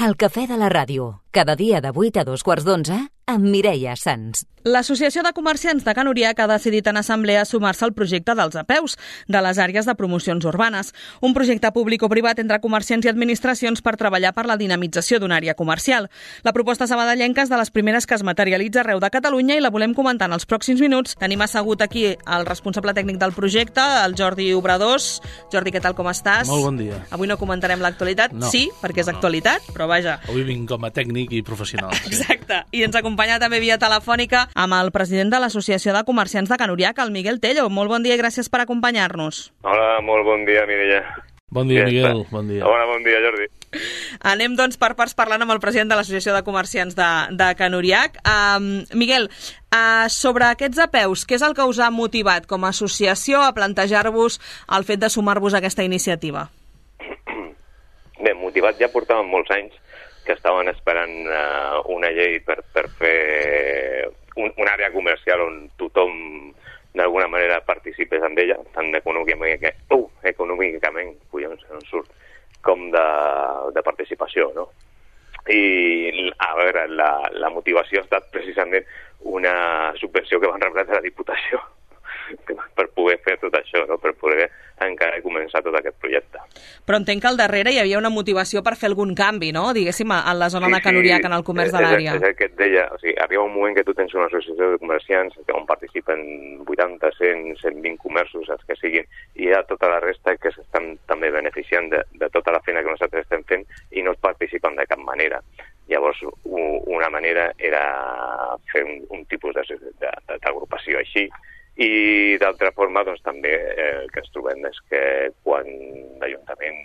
El cafè de la ràdio, cada dia de 8 a 2:15, amb Mireia Sans. L'Associació de Comerciants de Can Uriac ha decidit en assemblea sumar-se al projecte dels APEUs, de les àrees de promocions urbanes, un projecte públic o privat entre comerciants i administracions per treballar per la dinamització d'una àrea comercial. La proposta sabadellenca és de les primeres que es materialitza arreu de Catalunya i la volem comentar en els pròxims minuts. Tenim assegut aquí el responsable tècnic del projecte, el Jordi Obradors. Jordi, què tal, com estàs? Molt bon dia. Avui no comentarem l'actualitat, No, sí, perquè és actualitat, però vaja. Avui vinc com a tècnic i professional. Sí. Exacte. I ens acompanya també via telefònica amb el president de l'Associació de Comerciants de Can Uriac, el Miguel Tello. Molt bon dia i gràcies per acompanyar-nos. Hola, molt bon dia, Mireia. Bon dia, Miguel. Bon dia. Hola, bon dia, Jordi. Anem, doncs, per parts parlant amb el president de l'Associació de Comerciants de Can Uriac. Miguel, sobre aquests APEUs, què és el que us ha motivat com a associació a plantejar-vos el fet de sumar-vos a aquesta iniciativa? Bé, motivat ja portàvem molts anys que estaven esperant una llei per fer una àrea comercial on tothom d'alguna manera participés en ella, tant econòmicament, collons, no surt, com de participació, no? I, a veure, la motivació ha estat precisament una subvenció que van rebre de la Diputació per poder fer tot això, no? Per poder encara començar tot aquest projecte. Però entenc que al darrere hi havia una motivació per fer algun canvi, no? Diguéssim, a la zona de Can Uriac, en el comerç de l'àrea. És el que et deia, o sigui, arriba un moment que tu tens una associació de comerciants on participen 80, 100, 120 comerços, els que siguin, i hi ha tota la resta que s'estan també beneficiant de tota la feina que nosaltres estem fent i no participen de cap manera. Llavors, una manera era fer un tipus d'agrupació així, i d'altra forma doncs, també el que ens trobem és que quan l'Ajuntament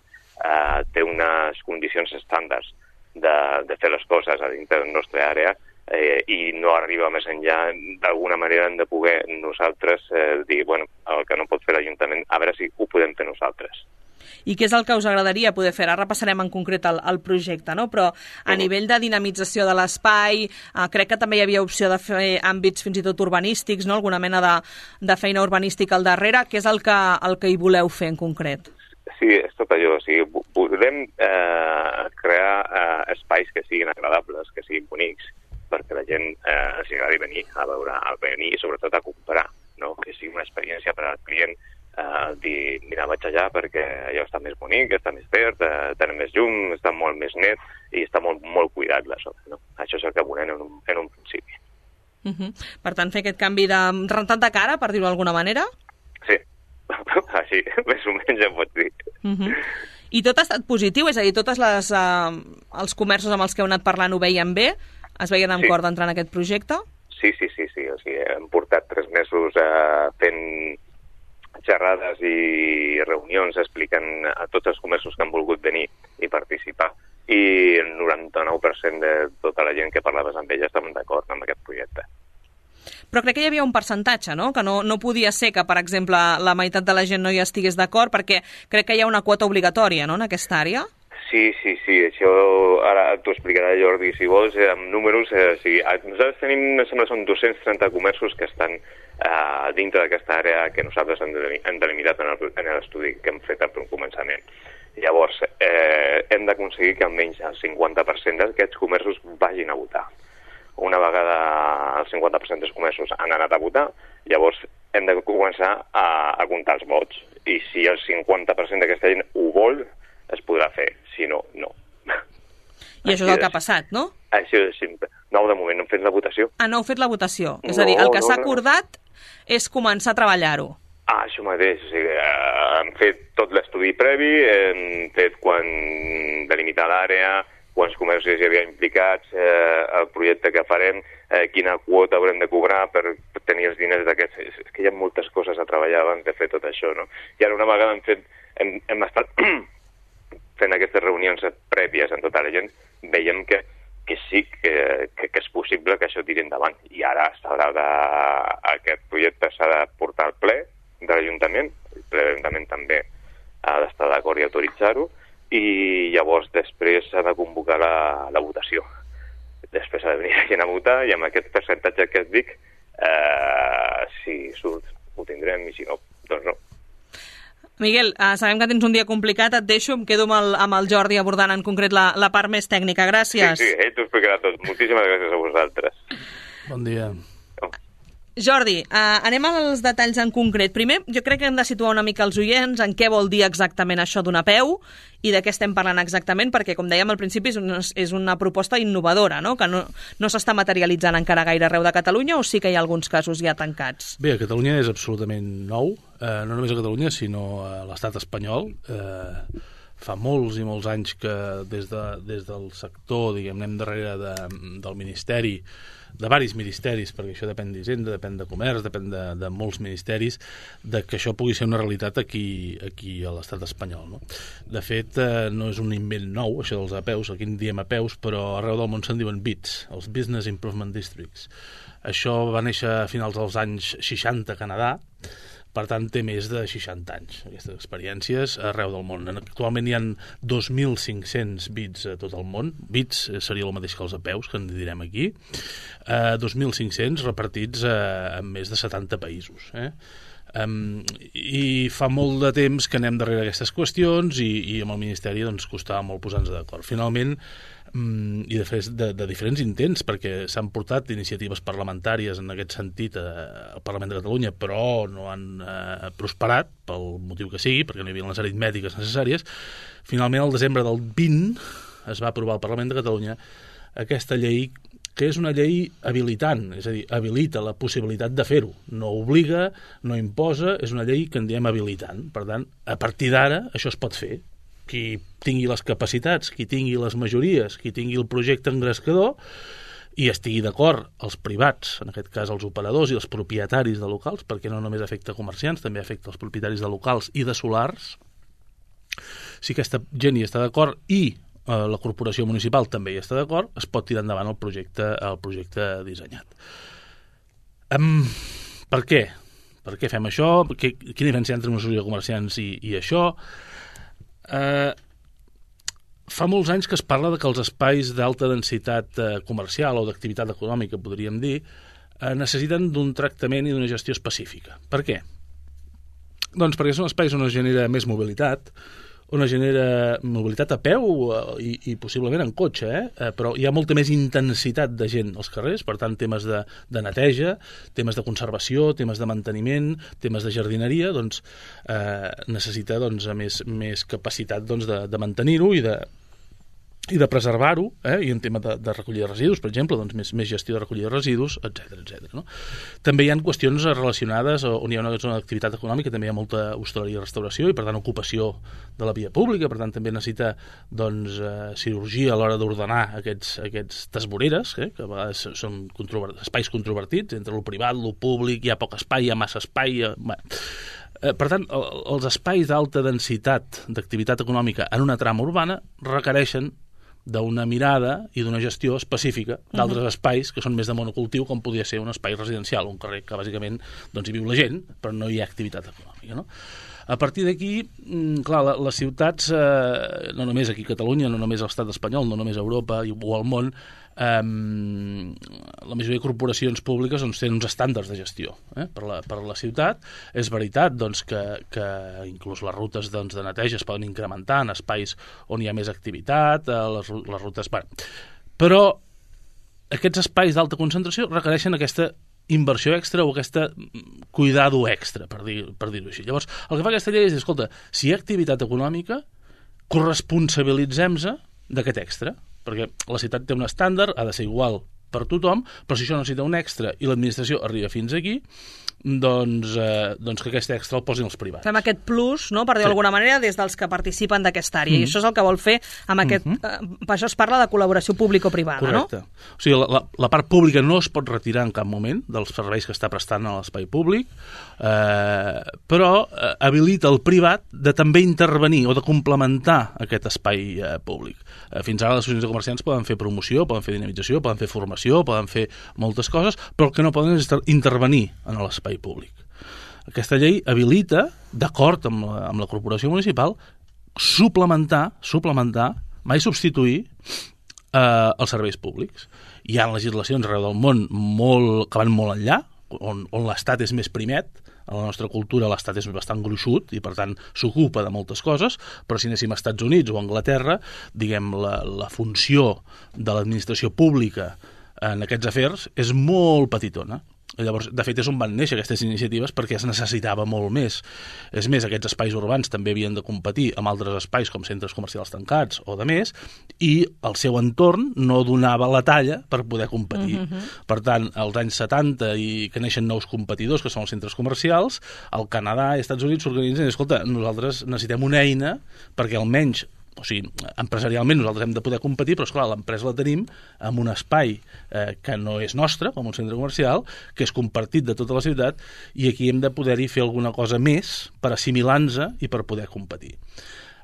té unes condicions estàndards de fer les coses a dintre de la nostra àrea i no arriba més enllà, d'alguna manera hem de poder nosaltres dir, bueno, el que no pot fer l'Ajuntament, a veure si ho podem fer nosaltres. I què és el que us agradaria poder fer? Ara repassarem en concret el projecte, no? Però a nivell de dinamització de l'espai, crec que també hi havia opció de fer àmbits fins i tot urbanístics, no? Alguna mena de feina urbanística al darrere. Què és el que hi voleu fer en concret? Sí, és tot allò. O sigui, podem crear espais que siguin agradables, que siguin bonics, perquè la gent els agradi venir a veure, i sobretot a comprar, no? Que sigui una experiència per al client dir, mira, vaig allà perquè allò està més bonic, està més verd, té més llum, està molt més net i està molt, molt cuidat la zona, no? Això és el que volem en un principi. Per tant, fer aquest canvi de rentat de cara, per dir-ho d'alguna manera? Sí, així, més o menys ja pots dir. I tot ha estat positiu? És a dir, tots els comerços amb els que heu anat parlant ho veien bé? Es veien amb cor d'entrar en aquest projecte? Sí. O sigui, hem portat 3 mesos fent xerrades i reunions explicant a tots els comerços que han volgut venir i participar, i el 99% de tota la gent que parlaves amb ella estaven d'acord amb aquest projecte. Però crec que hi havia un percentatge, no? Que no podia ser que, per exemple, la meitat de la gent no hi estigués d'acord, perquè crec que hi ha una quota obligatòria, no?, en aquesta àrea. Sí, això ara t'ho explicarà Jordi, si vols, amb números. Nosaltres tenim, em sembla, són 230 comerços que estan dintre d'aquesta àrea que nosaltres hem delimitat en l'estudi que hem fet al començament. Llavors, hem d'aconseguir que almenys el 50% d'aquests comerços vagin a votar. Una vegada el 50% dels comerços han anat a votar, llavors hem de començar a comptar els vots. I si el 50% d'aquesta gent ho vol, es podrà fer. Si no, no. I això és el que ha passat, no? Això és simple. No, de moment no hem fet la votació. No heu fet la votació? És a dir, el que s'ha acordat és començar a treballar-ho. Això mateix. O sigui, hem fet tot l'estudi previ, hem fet quan delimitar l'àrea, quants comerços hi havia implicats, el projecte que farem, quina quota haurem de cobrar per tenir els diners d'aquests. És que hi ha moltes coses a treballar abans de fer tot això, no? I ara una vegada hem estat fent aquestes reunions prèvies amb tota la gent, veiem que sí, que és possible que això tiri endavant. I ara aquest projecte s'ha de portar al ple de l'Ajuntament, el ple de l'Ajuntament també ha d'estar d'acord i autoritzar-ho, i llavors després s'ha de convocar la votació. Després ha de venir la gent a votar, i amb aquest percentatge que et dic, si surt ho tindrem, i si no, doncs no. Miguel, sabem que tens un dia complicat, et deixo, em quedo amb el Jordi abordant en concret la part més tècnica. Gràcies. Sí, ell t'ho explicarà tot. Moltíssimes gràcies a vosaltres. Bon dia. Jordi, anem als detalls en concret. Primer, jo crec que hem de situar una mica els oients en què vol dir exactament això d'una APEU i de què estem parlant exactament, perquè, com dèiem al principi, és una proposta innovadora, no? Que no s'està materialitzant encara gaire arreu de Catalunya, o sí que hi ha alguns casos ja tancats? Bé, a Catalunya és absolutament nou, no només a Catalunya, sinó a l'estat espanyol. Fa molts i molts anys que des del sector, diguem, anem darrere del Ministeri, de varis ministeris, perquè això depèn d'Hisenda, depèn de Comerç, depèn de molts ministeris, de que això pugui ser una realitat aquí a l'estat espanyol, no? De fet, no és un invent nou, això dels APEUs, aquí en diem APEUs, però arreu del món se'n diuen BIDs, els Business Improvement Districts. Això va néixer a finals dels anys 60 a Canadà, per tant, té més de 60 anys, aquestes experiències arreu del món. Actualment hi ha 2.500 BIDs a tot el món. BIDs seria el mateix que els APEUs, que en direm aquí. 2.500 repartits en més de 70 països. I fa molt de temps que anem darrere aquestes qüestions i amb el Ministeri doncs, costava molt posar-nos d'acord. Finalment, i de diferents intents, perquè s'han portat iniciatives parlamentàries en aquest sentit al Parlament de Catalunya, però no han prosperat, pel motiu que sigui, perquè no hi havia les aritmètiques necessàries. Finalment, al desembre del 20, es va aprovar al Parlament de Catalunya aquesta llei, que és una llei habilitant, és a dir, habilita la possibilitat de fer-ho. No obliga, no imposa, és una llei que en diem habilitant. Per tant, a partir d'ara, això es pot fer. Qui tingui les capacitats, qui tingui les majories, qui tingui el projecte engrescador i estigui d'acord els privats, en aquest cas els operadors i els propietaris de locals, perquè no només afecta comerciants, també afecta els propietaris de locals i de solars. Si aquesta gent hi està d'acord i la corporació municipal també hi està d'acord, es pot tirar endavant el projecte dissenyat. Per què? Per què fem això? Quina diferència entre una associació de comerciants i això? Fa molts anys que es parla de que els espais d'alta densitat comercial o d'activitat econòmica, podríem dir, necessiten d'un tractament i d'una gestió específica. Per què? Doncs perquè són espais on es genera més mobilitat, on es genera mobilitat a peu i possiblement en cotxe, però hi ha molta més intensitat de gent als carrers, per tant, temes de neteja, temes de conservació, temes de manteniment, temes de jardineria, doncs necessita més capacitat de mantenir-ho i de preservar-ho, i en tema de recollida de residus, per exemple, doncs més gestió de recollida de residus, etc. No? També hi ha qüestions relacionades on hi ha una zona d'activitat econòmica, també hi ha molta hostaleria i restauració i, per tant, ocupació de la via pública, per tant, també necessita cirurgia a l'hora d'ordenar aquestes voreres, que a vegades són espais controvertits, entre el privat, el públic, hi ha poc espai, hi ha massa espai... Per tant, els espais d'alta densitat d'activitat econòmica en una trama urbana requereixen d'una mirada i d'una gestió específica d'altres espais que són més de monocultiu, com podria ser un espai residencial, un carrer que bàsicament hi viu la gent, però no hi ha activitat econòmica, no? A partir d'aquí, clar, les ciutats, no només aquí a Catalunya, no només a l'estat espanyol, no només a Europa o al món, la majoria de corporacions públiques tenen uns estàndards de gestió per la ciutat. És veritat que inclús les rutes de neteja es poden incrementar en espais on hi ha més activitat, les rutes... Però aquests espais d'alta concentració requereixen aquesta inversió extra o aquesta cuidado extra, per dir-ho així. Llavors, el que fa aquesta llei és dir, escolta, si hi ha activitat econòmica, corresponsabilitzem-se d'aquest extra, perquè la ciutat té un estàndard, ha de ser igual per tothom, però si això necessita un extra i l'administració arriba fins aquí, doncs que aquest extra el posin els privats. Fem aquest plus, no, per dir-ho d'alguna manera, des dels que participen d'aquesta àrea. I això és el que vol fer amb aquest... Per això es parla de col·laboració público-privada, correcte. No? O sigui, la part pública no es pot retirar en cap moment dels serveis que està prestant a l'espai públic, però habilita el privat de també intervenir o de complementar aquest espai públic. Fins ara les associacions de comerciants poden fer promoció, poden fer dinamització, poden fer formació, poden fer moltes coses, però el que no poden és intervenir en l'espai públic. Aquesta llei habilita, d'acord amb la corporació municipal, suplementar, mai substituir els serveis públics. Hi ha legislacions arreu del món que van molt enllà, on l'Estat és més primet a la nostra cultura l'Estat és bastant gruixut i per tant s'ocupa de moltes coses, però si anéssim a Estats Units o a Anglaterra, diguem, la funció de l'administració pública en aquests afers és molt petitona. Llavors, de fet, és on van néixer aquestes iniciatives perquè es necessitava molt més. És més, aquests espais urbans també havien de competir amb altres espais com centres comercials tancats o de més, i el seu entorn no donava la talla per poder competir. Per tant, als anys 70 i que neixen nous competidors, que són els centres comercials, al Canadà i als Estats Units s'organitzen i, escolta, nosaltres necessitem una eina perquè almenys, o sigui, empresarialment nosaltres hem de poder competir, però esclar, l'empresa la tenim en un espai que no és nostre, com un centre comercial, que és compartit de tota la ciutat, i aquí hem de poder-hi fer alguna cosa més per assimilar-nos i per poder competir.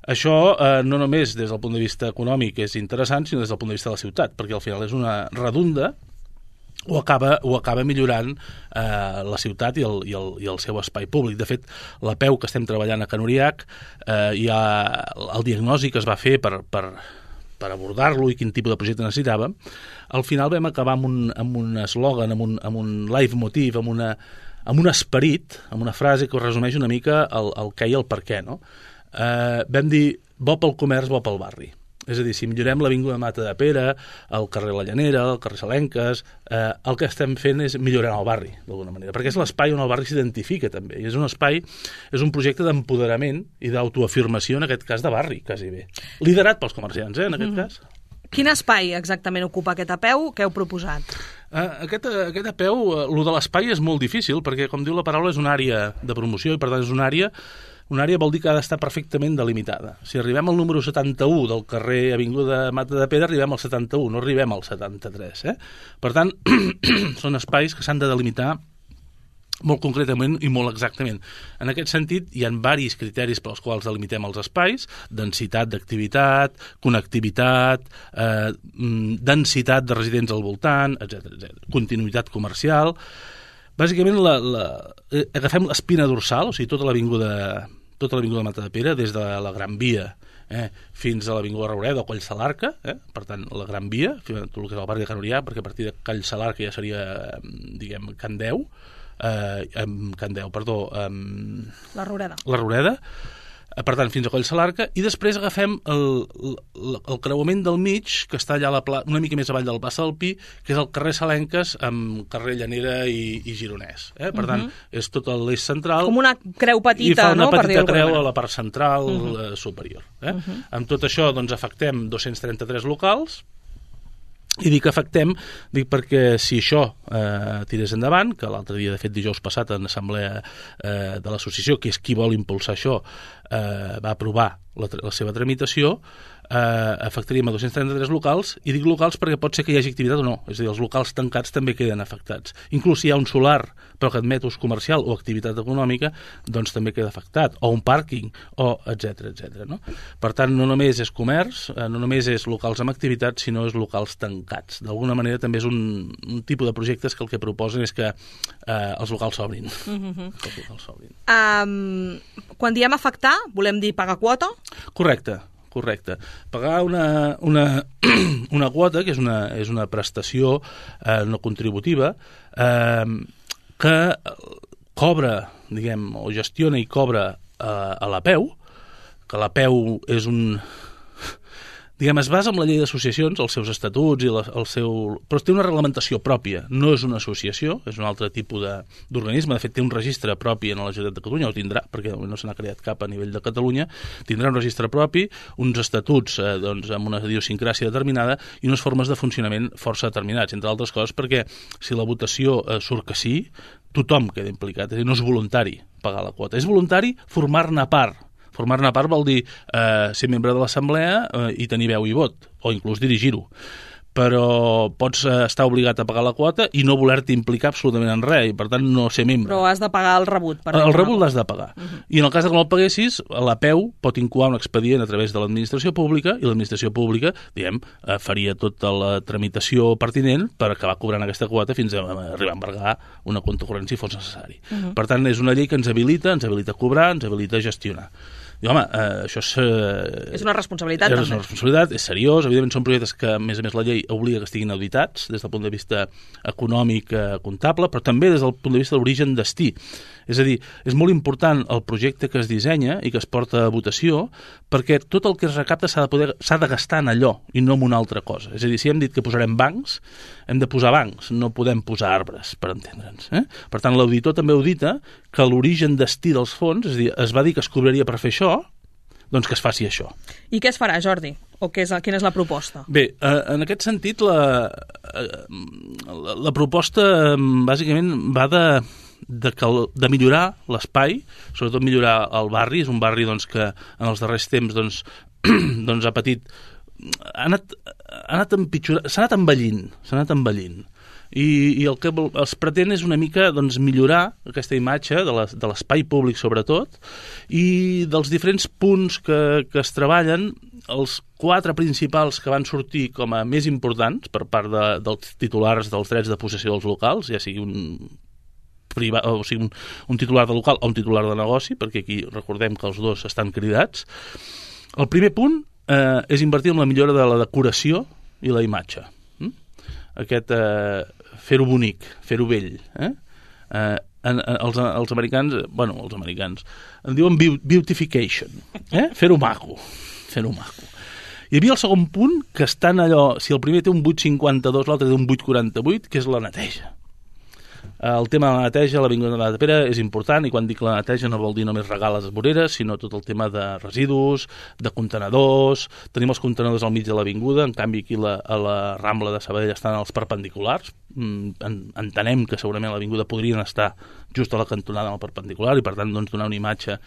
Això no només des del punt de vista econòmic és interessant, sinó des del punt de vista de la ciutat, perquè al final és una redunda o acaba millorant la ciutat i el seu espai públic. De fet, la PEU que estem treballant a Can Uriach, el diagnòstic que es va fer per abordar-lo i quin tipus de projecte necessitàvem, al final vam acabar amb un eslògan, amb un leitmotiv, amb un esperit, amb una frase que resumeix una mica el què i el per què, no? Vam dir, bo pel comerç, bo pel barri. És a dir, si millorem l'Avinguda Mata de Pere, el carrer La Llanera, el carrer Salenques, el que estem fent és millorar el barri, d'alguna manera, perquè és l'espai on el barri s'identifica també, i és un espai, és un projecte d'empoderament i d'autoafirmació, en aquest cas de barri, quasi bé. Liderat pels comerciants, en aquest cas. Quin espai exactament ocupa aquest apeu que heu proposat? Aquest apeu, el de l'espai és molt difícil, perquè, com diu la paraula, és una àrea de promoció, i per tant és una àrea vol dir que ha d'estar perfectament delimitada. Si arribem al número 71 del carrer Avinguda Mata de Pere, arribem al 71, no arribem al 73. Per tant, són espais que s'han de delimitar molt concretament i molt exactament. En aquest sentit, hi ha diversos criteris pels quals delimitem els espais: densitat d'activitat, connectivitat, densitat de residents al voltant, etc. Continuïtat comercial. Bàsicament, agafem l'espina dorsal, o sigui, tota l'avinguda Mata de Pere, des de la Gran Via fins a l'avinguda Raureda o Coll Salarca, per tant, la Gran Via, tot el que és el barri de Can Uriach, perquè a partir de Coll Salarca ja seria, diguem, La Roureda. La Roureda. Per tant, fins a Coll Salarca, i després agafem el creuament del mig, que està allà una mica més avall del Pas del Pi, que és el carrer Salenques amb carrer Llanera i Gironès. Per tant, és tot l'eix central. Com una creu petita, no? I fa una petita creu a la part central superior. Amb tot això, doncs, afectem 233 locals. I dic afectem, perquè si això tirés endavant, que l'altre dia, de fet, dijous passat, en l'assemblea de l'associació, que és qui vol impulsar això, va aprovar la seva tramitació, afectaríem a 233 locals, i dic locals perquè pot ser que hi hagi activitat o no, és a dir, els locals tancats també queden afectats. Inclús si hi ha un solar però que admet ús comercial o activitat econòmica, doncs també queda afectat, o un pàrquing, o etc. No? Per tant, no només és comerç, no només és locals amb activitat, sinó és locals tancats. D'alguna manera també és un tipus de projectes que el que proposen és que els locals s'obrin. Quan diem afectar, volem dir pagar quota? Correcte. Pagar una quota, que és una prestació no contributiva, que cobra, diguem, o gestiona i cobra a l'APEU, que l'APEU és diguem, es basa en la llei d'associacions, els seus estatuts i però té una reglamentació pròpia, no és una associació, és un altre tipus d'organisme, de fet té un registre propi en la Generalitat de Catalunya, o tindrà, perquè no se n'ha creat cap a nivell de Catalunya, tindrà un registre propi, uns estatuts doncs, amb una idiosincràsia determinada i unes formes de funcionament força determinats, entre altres coses perquè si la votació surt que sí, tothom queda implicat, és a dir, no és voluntari pagar la quota, és voluntari formar-ne part. Formar-ne part vol dir ser membre de l'assemblea i tenir veu i vot, o inclús dirigir-ho. Però pots estar obligat a pagar la quota i no voler-te implicar absolutament en res, i per tant no ser membre. Però has de pagar el rebut. El rebut l'has de pagar. I en el cas que no el paguessis, l'APEU pot incoar un expedient a través de l'administració pública, i l'administració pública, diguem, faria tota la tramitació pertinent per acabar cobrant aquesta quota fins a arribar a embargar una compte corrent si fos necessari. Per tant, és una llei que ens habilita a cobrar, ens habilita a gestionar. I, home, això és una responsabilitat, també. És una responsabilitat, és seriós. Evidentment, són projectes que, a més la llei obliga que estiguin auditats des del punt de vista econòmic, comptable, però també des del punt de vista de l'origen destí. És a dir, és molt important el projecte que es dissenya i que es porta a votació, perquè tot el que es recapta s'ha de gastar en allò i no en una altra cosa. És a dir, si hem dit que posarem bancs, hem de posar bancs, no podem posar arbres, per entendre'ns. Per tant, l'auditor també audita que l'origen destí dels fons, és a dir, es va dir que es cobraria per fer això, doncs que es faci això. I què es farà, Jordi? O quina és la proposta? Bé, en aquest sentit, la proposta bàsicament va de millorar l'espai, sobretot millorar el barri. És un barri doncs, que en els darrers temps doncs, ha patit... s'ha anat envellint. I el que es pretén és una mica doncs, millorar aquesta imatge de l'espai públic sobretot, i dels diferents punts que es treballen, els 4 principals que van sortir com a més importants per part dels titulars dels drets de possessió dels locals, ja sigui un titular de local o un titular de negoci, perquè aquí recordem que els dos estan cridats. El primer punt és invertir en la millora de la decoració i la imatge. Fer-ho bonic, fer-ho vell. Els americans en diuen beautification, fer-ho maco. Hi havia el segon punt, que estan allò, si el primer té un 8,52, l'altre té un 8,48, que és la neteja. El tema de la neteja a l'Avinguda de Pere és important, i quan dic la neteja no vol dir només regar les voreres, sinó tot el tema de residus, de contenedors. Tenim els contenedors al mig de l'avinguda, en canvi aquí a la Rambla de Sabadell estan els perpendiculars. Entenem que segurament a l'avinguda podrien estar just a la cantonada amb el perpendicular, i per tant doncs, donar una imatge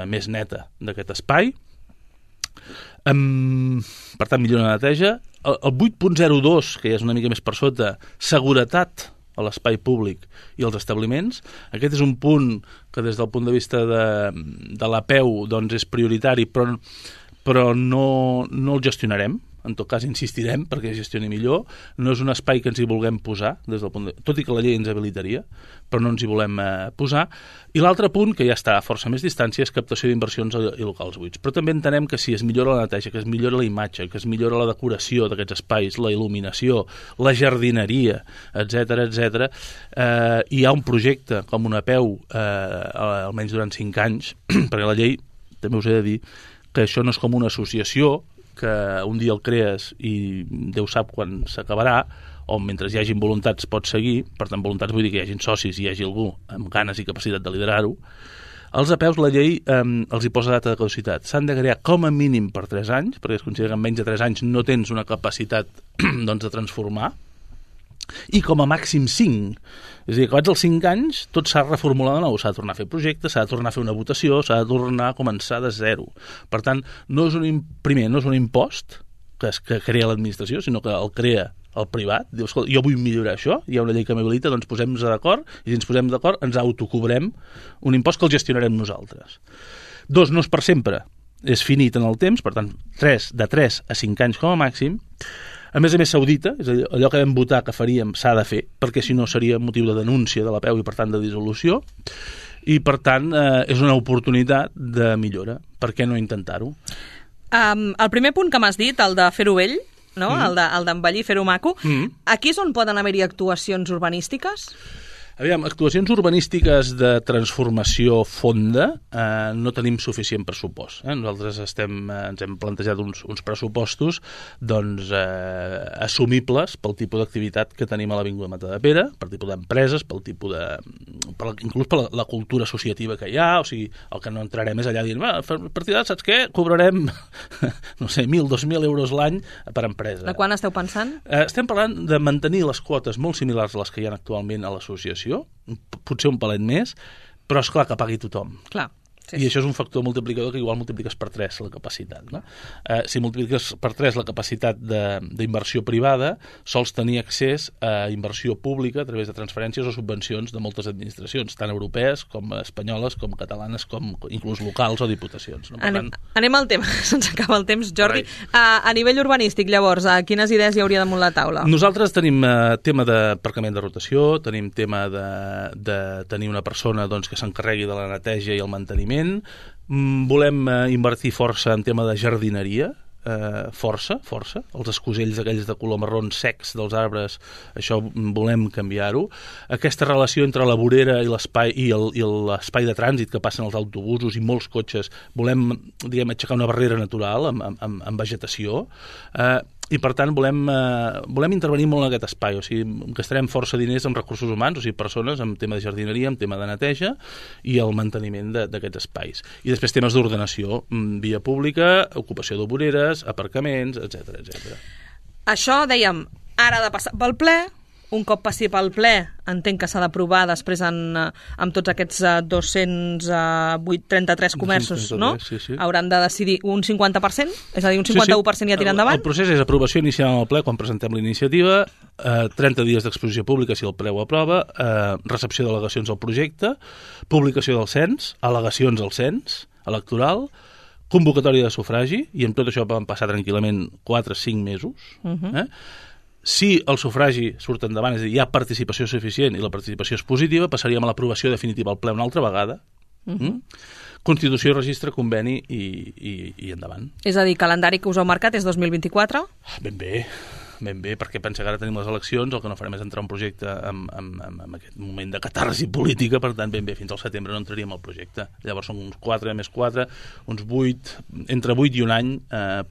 més neta d'aquest espai. Per tant, millor la neteja. El 8.02, que ja és una mica més per sota, seguretat a l'espai públic i als establiments. Aquest és un punt que des del punt de vista de l'APEU doncs és prioritari, però no el gestionarem. En tot cas, insistirem perquè es gestioni millor. No és un espai que ens hi vulguem posar, tot i que la llei ens habilitaria, però no ens hi volem posar. I l'altre punt, que ja està a força més distància, és captació d'inversions i locals buits. Però també entenem que si es millora la neteja, que es millora la imatge, que es millora la decoració d'aquests espais, la il·luminació, la jardineria, etc., hi ha un projecte com una APEU, almenys durant 5 anys, perquè la llei, també us he de dir, que això no és com una associació, que un dia el crees i Déu sap quan s'acabarà, o mentre hi hagin voluntats pots seguir. Per tant, voluntats vull dir que hi hagin socis i hi hagi algú amb ganes i capacitat de liderar-ho. Els APEUs, la llei els hi posa data de caducitat. S'han de crear com a mínim per 3 anys, perquè es considera que en menys de 3 anys no tens una capacitat de transformar, i com a màxim 5. És a dir, acabats els 5 anys, tot s'ha reformulat de nou. S'ha de tornar a fer projectes, s'ha de tornar a fer una votació, s'ha de tornar a començar de zero. Per tant, no és un impost que crea l'administració, sinó que el crea el privat. Diu, escolta, jo vull millorar això, hi ha una llei que m'habilita, doncs posem-nos d'acord, i si ens posem d'acord ens autocobrem un impost que el gestionarem nosaltres. 2, no és per sempre, és finit en el temps, per tant, de 3 a 5 anys com a màxim. A més s'audita, és a dir, allò que vam votar que faríem s'ha de fer, perquè si no seria motiu de denúncia de l'APEU i per tant de dissolució, i per tant és una oportunitat de millora. Per què no intentar-ho? El primer punt que m'has dit, el de fer-ho vell, no? El d'embellir, fer-ho maco, aquí és on poden haver-hi actuacions urbanístiques? Aviam, actuacions urbanístiques de transformació fonda no tenim suficient pressupost. Nosaltres ens hem plantejat uns pressupostos doncs, assumibles pel tipus d'activitat que tenim a l'Avinguda Matadepera, per tipus d'empreses, inclús per la cultura associativa que hi ha. O sigui, el que no entrarem és allà dient, a partir d'ara, saps què? Cobrarem, no sé, 1.000, 2.000 euros l'any per empresa. De quan esteu pensant? Estem parlant de mantenir les quotes molt similars a les que hi ha actualment a l'associació, potser un palet més, però és clar que pagui tothom. Clar. Sí. I això és un factor multiplicador que igual multipliques per 3 la capacitat. No? Si multipliques per 3 la capacitat d'inversió privada, sols tenir accés a inversió pública a través de transferències o subvencions de moltes administracions, tant europees com espanyoles, com catalanes, com inclús locals o diputacions. No? Anem al tema, se'ns acaba el temps. Jordi, a nivell urbanístic, llavors, quines idees hi hauria damunt la taula? Nosaltres tenim tema d'aparcament de rotació, tenim tema de tenir una persona doncs, que s'encarregui de la neteja i el manteniment. Volem invertir força en tema de jardineria, força. Els escosells aquells de color marrons secs dels arbres, això volem canviar-ho. Aquesta relació entre la vorera i l'espai de trànsit que passen els autobusos i molts cotxes, volem, diguem, aixecar una barrera natural amb vegetació, i per tant volem intervenir molt en aquest espai, o sigui, gastarem força diners en recursos humans, o sigui, persones, en tema de jardineria, en tema de neteja i el manteniment d'aquests espais. I després temes d'ordenació, via pública, ocupació de voreres, aparcaments, etc. Això, dèiem, ara ha de passar pel ple. Un cop passi pel ple, entenc que s'ha d'aprovar després amb tots aquests 233 comerços, 233, no? Sí. Hauran de decidir un 50%? És a dir, un 51% ja tira endavant? El procés és aprovació inicial al ple quan presentem la iniciativa, 30 dies d'exposició pública si el ple ho aprova, recepció d'al·legacions al projecte, publicació del cens, al·legacions al cens electoral, convocatòria de sufragi, i amb tot això van passar tranquil·lament 4-5 mesos, Si el sufragi surt endavant, és a dir, hi ha participació suficient i la participació és positiva, passaríem a l'aprovació definitiva al ple una altra vegada. Constitució, registre, conveni i endavant. És a dir, calendari que us heu marcat és 2024? Ben bé, perquè pensa que ara tenim les eleccions, el que no farem és entrar un projecte en aquest moment de catarsi política, per tant, ben bé, fins al setembre no entraríem al projecte. Llavors són uns 4 més 4, uns 8, entre 8 i un any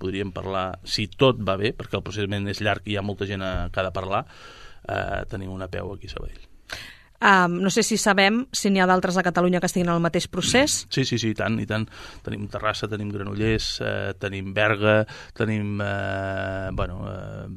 podríem parlar, si tot va bé, perquè el procediment és llarg i hi ha molta gent que ha de parlar, tenim una peu aquí a Sabadell. No sé si sabem si n'hi ha d'altres a Catalunya que estiguin en el mateix procés. Sí, i tant. Tenim Terrassa, tenim Granollers, tenim Berga, tenim...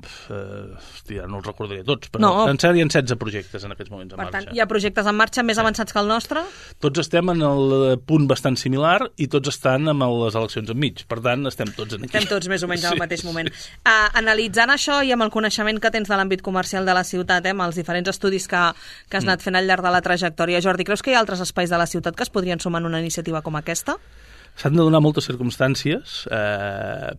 hòstia, no els recordaré tots, però en sèrie hi ha 16 projectes en aquests moments en marxa. Per tant, hi ha projectes en marxa més avançats que el nostre? Tots estem en el punt bastant similar i tots estan amb les eleccions enmig. Per tant, estem tots aquí. Estem tots més o menys al mateix moment. Analitzant això i amb el coneixement que tens de l'àmbit comercial de la ciutat, amb els diferents estudis que has anat fent al llarg de la trajectòria. Jordi, creus que hi ha altres espais de la ciutat que es podrien sumar en una iniciativa com aquesta? S'han de donar moltes circumstàncies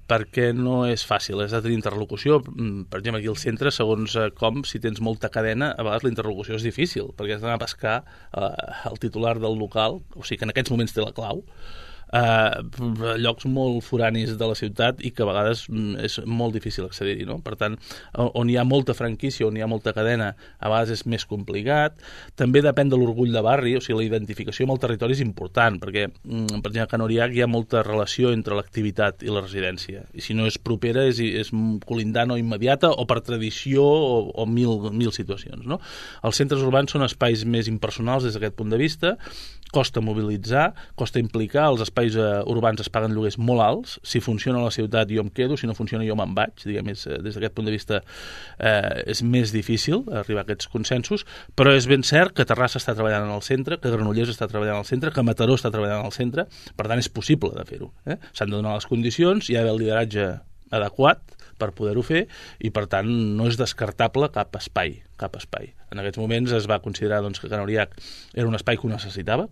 perquè no és fàcil, has de tenir interlocució. Per exemple, aquí al centre, segons com, si tens molta cadena, a vegades la interlocució és difícil, perquè has d'anar a pescar el titular del local, o sigui que en aquests moments té la clau, llocs molt foranis de la ciutat i que a vegades és molt difícil accedir-hi, no? Per tant, on hi ha molta franquícia, on hi ha molta cadena, a vegades és més complicat. També depèn de l'orgull de barri, o sigui, la identificació amb el territori és important, perquè, per exemple, a Can Oriach hi ha molta relació entre l'activitat i la residència, i si no és propera és colindant o immediata o per tradició o mil situacions, no? Els centres urbans són espais més impersonals des d'aquest punt de vista, costa mobilitzar, costa implicar, els espais urbans es paguen lloguers molt alts, si funciona la ciutat jo em quedo, si no funciona jo me'n vaig, diguem, des d'aquest punt de vista és més difícil arribar a aquests consensos, però és ben cert que Terrassa està treballant en el centre, que Granollers està treballant al centre, que Mataró està treballant al centre, per tant és possible de fer-ho. S'han de donar les condicions, hi ha d'haver el lideratge adequat per poder-ho fer i per tant no és descartable cap espai. En aquests moments es va considerar que Can Oriach era un espai que ho necessitava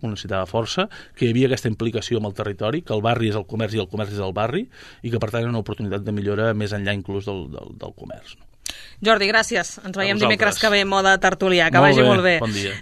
força, que hi havia aquesta implicació amb el territori, que el barri és el comerç i el comerç és el barri i que per tant era una oportunitat de millora més enllà inclús del comerç. Jordi, gràcies. Ens veiem dimecres que ve, moda tertulià. Que vagi molt bé. Bon dia.